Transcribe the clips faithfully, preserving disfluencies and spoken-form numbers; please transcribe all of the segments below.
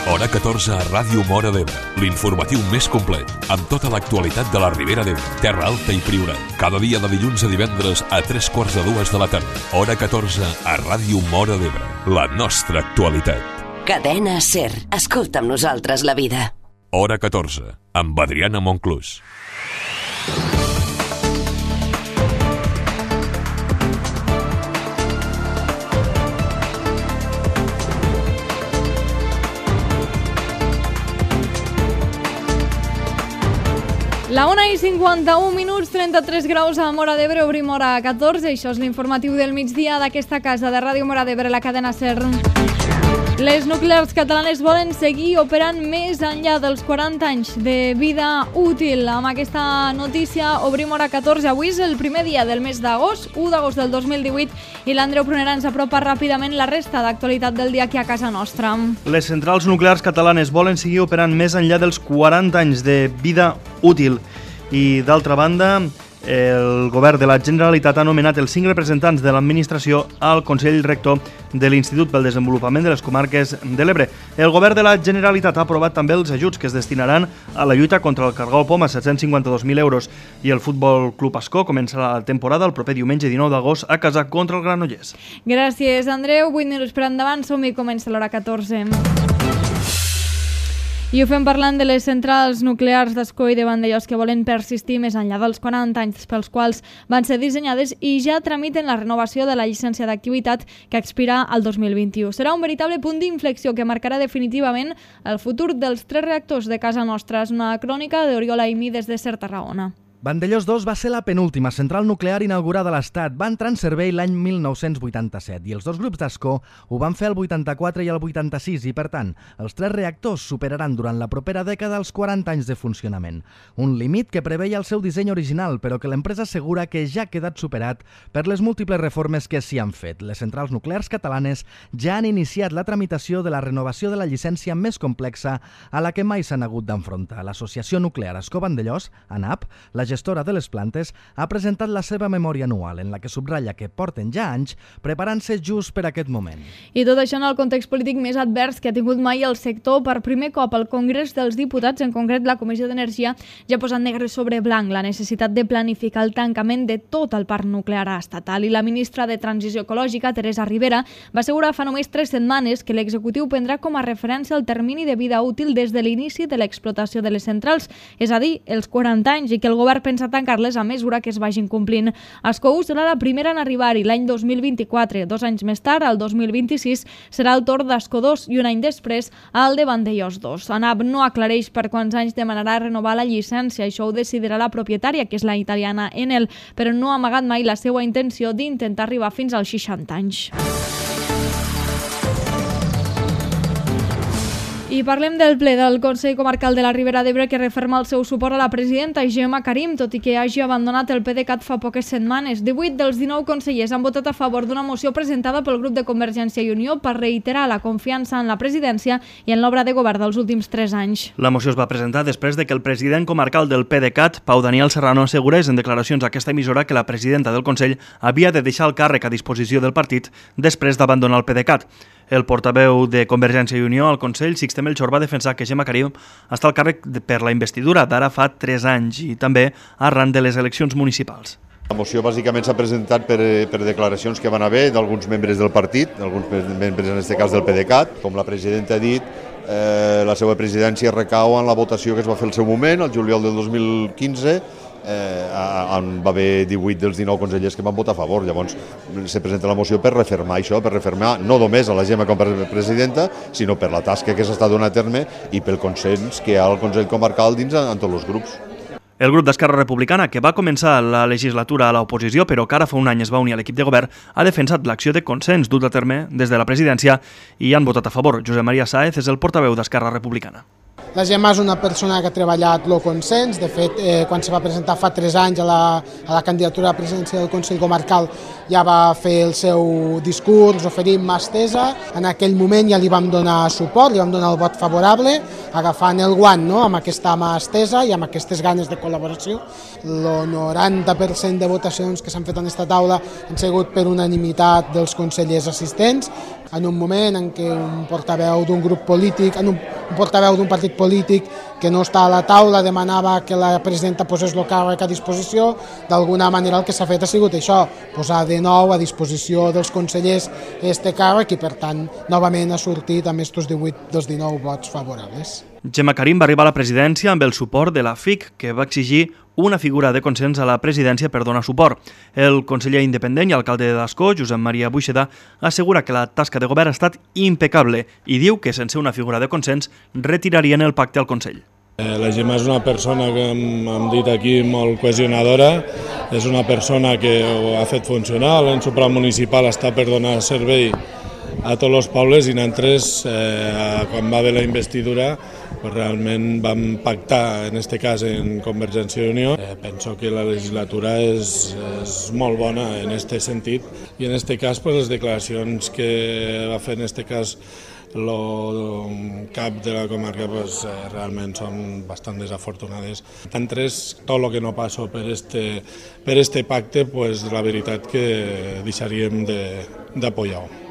Hora catorze a Ràdio Móra d'Ebre, l'informatiu més complet, amb tota l'actualitat de la Ribera d'Ebre, Terra Alta i Priorat. Cada dia de dilluns a divendres a tres quarts de dues de la tarda. Hora catorze a Ràdio Móra d'Ebre, la nostra actualitat. Cadena SER. Escolta amb nosaltres la vida. Hora catorze, amb Adriana Monclús. La una i cinquanta-un minuts, trenta-tres graus a Móra d'Ebre, obrim hora catorze. Això és l'informatiu del migdia d'aquesta casa de Ràdio Móra d'Ebre, la cadena SER. Les nuclears catalanes volen seguir operant més enllà dels quaranta anys de vida útil. Amb aquesta notícia obrim hora catorze. Avui és el primer dia del mes d'agost, u d'agost del dos mil divuit, i l'Andreu Prunera ens apropa ràpidament la resta d'actualitat del dia aquí a casa nostra. Les centrals nuclears catalanes volen seguir operant més enllà dels quaranta anys de vida útil. I d'altra banda, el govern de la Generalitat ha nomenat els cinc representants de l'administració al Consell Rector de l'Institut pel Desenvolupament de les Comarques de l'Ebre. El govern de la Generalitat ha aprovat també els ajuts que es destinaran a la lluita contra el cargol poma, set-cents cinquanta-dos mil euros. I el Futbol Club Ascó començarà la temporada el proper diumenge dinou d'agost a casa contra el Granollers. Gràcies, Andreu. vuit minuts per endavant, som-hi, comença l'hora catorze. I ho fem parlant de les centrals nuclears d'Ascó i de Vandellòs que volen persistir més enllà dels quaranta anys pels quals van ser dissenyades i ja tramiten la renovació de la llicència d'activitat que expira el dos mil vint-i-u. Serà un veritable punt d'inflexió que marcarà definitivament el futur dels tres reactors de casa nostra. És una crònica d'Oriol Aimí des de SER Tarragona. Vandellòs dos va ser la penúltima central nuclear inaugurada a l'Estat. Va entrar en servei l'any mil nou-cents vuitanta-set i els dos grups d'Ascó ho van fer el vuitanta-quatre i el vuitanta-sis i, per tant, els tres reactors superaran durant la propera dècada els quaranta anys de funcionament. Un límit que preveia el seu disseny original, però que l'empresa assegura que ja ha quedat superat per les múltiples reformes que s'hi han fet. Les centrals nuclears catalanes ja han iniciat la tramitació de la renovació de la llicència més complexa a la que mai s'han hagut d'enfrontar. L'Associació Nuclear Ascó-Vandellòs, ANAP, la gestora de les plantes, ha presentat la seva memòria anual en la que subratlla que porten ja anys preparant-se just per aquest moment. I tot això en el context polític més advers que ha tingut mai el sector. Per primer cop al Congrés dels Diputats, en concret la Comissió d'Energia, ja ha posat negre sobre blanc la necessitat de planificar el tancament de tot el parc nuclear estatal. I la ministra de Transició Ecològica, Teresa Ribera, va assegurar fa només tres setmanes que l'executiu prendrà com a referència el termini de vida útil des de l'inici de l'explotació de les centrals, és a dir, els quaranta anys, i que el govern pensa tancar-les a mesura que es vagin complint. Ascó serà la primera en arribar-hi l'any dos mil vint-i-quatre. Dos anys més tard, el dos mil vint-i-sis, serà el torn d'Ascó dos i un any després el de Vandellòs dos. ANAP no aclareix per quants anys demanarà renovar la llicència. Això ho decidirà la propietària, que és la italiana Enel, però no ha amagat mai la seva intenció d'intentar arribar fins als seixanta anys. I parlem del ple del Consell Comarcal de la Ribera d'Ebre que referma el seu suport a la presidenta Gemma Karim, tot i que hagi abandonat el PDeCAT fa poques setmanes. divuit dels dinou consellers han votat a favor d'una moció presentada pel grup de Convergència i Unió per reiterar la confiança en la presidència i en l'obra de govern dels últims tres anys. La moció es va presentar després de que el president comarcal del PDeCAT, Pau Daniel Serrano, assegurés en declaracions a aquesta emissora que la presidenta del Consell havia de deixar el càrrec a disposició del partit després d'abandonar el PDeCAT. El portaveu de Convergència i Unió al Consell, Sixte Melchor, va defensar que Gemma Karim està al càrrec per la investidura d'ara fa tres anys i també arran de les eleccions municipals. La moció bàsicament s'ha presentat per, per declaracions que van haver d'alguns membres del partit, d'alguns membres en aquest cas del PDeCAT. Com la presidenta ha dit, eh, la seva presidència recau en la votació que es va fer al seu moment, el juliol del dos mil quinze, Eh, va haver divuit dels dinou consellers que van votar a favor. Llavors se presenta la moció per refermar això, per refermar no només a la Gemma com a presidenta, sinó per la tasca que s'està donant a terme i pel consens que hi ha al Consell Comarcal dins en tots els grups. El grup d'Esquerra Republicana, que va començar la legislatura a l'oposició, però que ara fa un any es va unir a l'equip de govern, ha defensat l'acció de consens dut a terme des de la presidència i han votat a favor. Josep Maria Sáez és el portaveu d'Esquerra Republicana. La Gemma és una persona que ha treballat el consens. De fet, eh, quan se va presentar fa tres anys a la, a la candidatura a la presidència del Consell Comarcal ja va fer el seu discurs, oferint mà estesa. En aquell moment ja li vam donar suport, li vam donar el vot favorable, agafant el guant, no?, amb aquesta mà estesa i amb aquestes ganes de col·laboració. El noranta per cent de votacions que s'han fet en aquesta taula han sigut per unanimitat dels consellers assistents, en un moment en què un portaveu d'un grup polític, en un un portaveu d'un partit polític que no està a la taula demanava que la presidenta posés el càrrec a disposició. D'alguna manera el que s'ha fet ha sigut això, posar de nou a disposició dels consellers este càrrec i per tant novament ha sortit amb estos divuit dels dinou vots favorables. Gemma Karim va arribar a la presidència amb el suport de la F I C, que va exigir una figura de consens a la presidència per donar suport. El conseller independent i alcalde d'Ascó, Josep Maria Buixeda, assegura que la tasca de govern ha estat impecable i diu que sense una figura de consens retirarien el pacte al Consell. La Gemma és una persona que hem, hem dit aquí molt cohesionadora, és una persona que ho ha fet funcionar, l'ens supramunicipal està per donar servei a tots els pobles i nosaltres, eh, quan va haver la investidura, pues realment vam pactar, en aquest cas en Convergència i Unió. Eh, penso que la legislatura és, és molt bona en aquest sentit i en aquest cas pues, les declaracions que va fer en aquest cas el cap de la comarca pues, eh, realment són bastant desafortunades. Nosaltres, tot el que no passo per este, per este pacte, pues, la veritat que deixaríem d'apoyar-ho.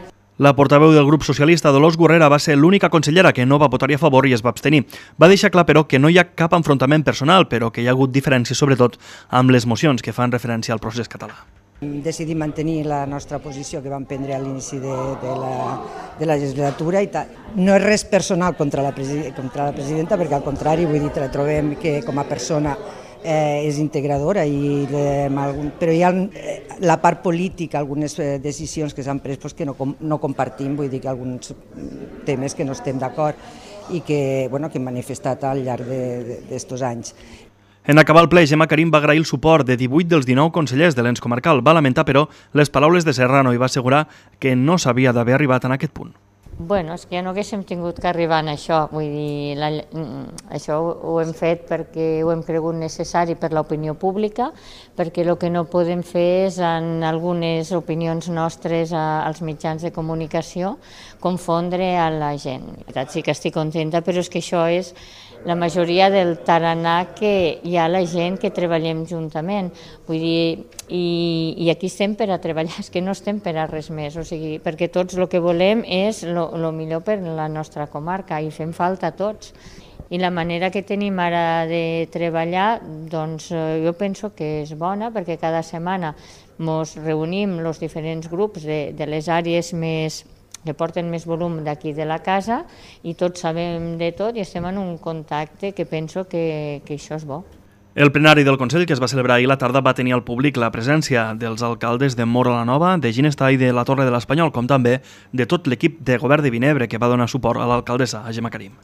La portaveu del grup socialista, Dolors Gurrera, va ser l'única consellera que no va votar-hi a favor i es va abstenir. Va deixar clar, però, que no hi ha cap enfrontament personal, però que hi ha hagut diferències, sobretot, amb les mocions que fan referència al procés català. Decidim mantenir la nostra posició que vam prendre a l'inici de, de, la, de la legislatura i tal. No és res personal contra la, contra la presidenta, perquè al contrari, vull dir, la trobem que com a persona Eh, és integradora, i, eh, però hi ha eh, la part política, algunes eh, decisions que s'han pres pues, que no, no compartim, vull dir que alguns temes que no estem d'acord i que, bueno, que hem manifestat al llarg d'estos anys. En acabar el ple, Gemma Karim va agrair el suport de divuit dels dinou consellers de l'ens comarcal. Va lamentar, però, les paraules de Serrano i va assegurar que no s'havia d'haver arribat en aquest punt. Bueno, és que ja no haguéssim tingut que arribar a això, vull dir, la, això ho hem fet perquè ho hem cregut necessari per l'opinió pública, perquè el que no podem fer és en algunes opinions nostres als mitjans de comunicació confondre a la gent. Sí que estic contenta, però és que això és la majoria del tarannà que hi ha la gent que treballem juntament. Vull dir, i, i aquí estem per a treballar, és que no estem per a res més, o sigui, perquè tots el que volem és el millor per la nostra comarca i fem falta a tots. I la manera que tenim ara de treballar, doncs jo penso que és bona, perquè cada setmana ens reunim els diferents grups de, de les àrees més que porten més volum d'aquí de la casa i tots sabem de tot i estem en un contacte que penso que, que això és bo. El plenari del Consell, que es va celebrar ahir a la tarda, va tenir al públic la presència dels alcaldes de Móra la Nova, de Ginestar i de la Torre de l'Espanyol, com també de tot l'equip de govern de Vinebre, que va donar suport a l'alcaldessa, a Gemma Karim.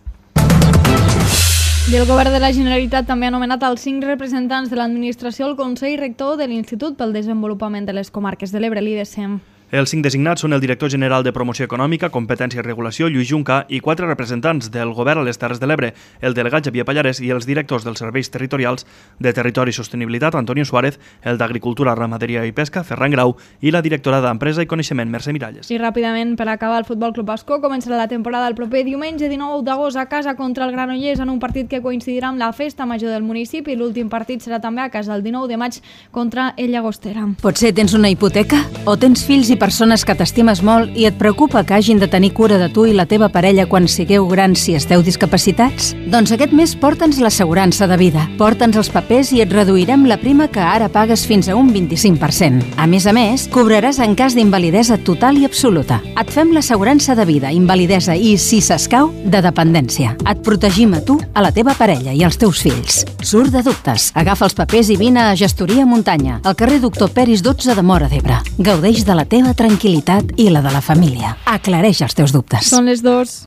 I el govern de la Generalitat també ha nomenat els cinc representants de l'administració al Consell Rector de l'Institut pel Desenvolupament de les Comarques de l'Ebre, l'I D C E M. Els cinc designats són el director general de Promoció Econòmica, Competència i Regulació, Lluís Junca, i quatre representants del govern a les Terres de l'Ebre, el delegat Xavier Pallarès i els directors dels serveis territorials de Territori i Sostenibilitat, Antonio Suárez, el d'Agricultura, Ramaderia i Pesca, Ferran Grau, i la directora d'Empresa i Coneixement, Mercè Miralles. I ràpidament, per acabar, el Futbol Club Ascó començarà la temporada el proper diumenge dinou d'agost a casa contra el Granollers en un partit que coincidirà amb la festa major del municipi. L'últim partit serà també a casa el dinou de maig contra el Llagostera. Potser tens una hipoteca o tens fills i persones que t'estimes molt i et preocupa que hagin de tenir cura de tu i la teva parella quan sigueu grans si esteu discapacitats? Doncs aquest mes porta'ns l'assegurança de vida. Porta'ns els papers i et reduirem la prima que ara pagues fins a un vint-i-cinc per cent. A més a més, cobraràs en cas d'invalidesa total i absoluta. Et fem l'assegurança de vida, invalidesa i, si s'escau, de dependència. Et protegim a tu, a la teva parella i als teus fills. Surt de dubtes. Agafa els papers i vine a Gestoria Muntanya, al carrer Doctor Peris dotze de Móra d'Ebre. Gaudeix de la teva tranquil·litat i la de la família. Aclareix els teus dubtes. Són les dos.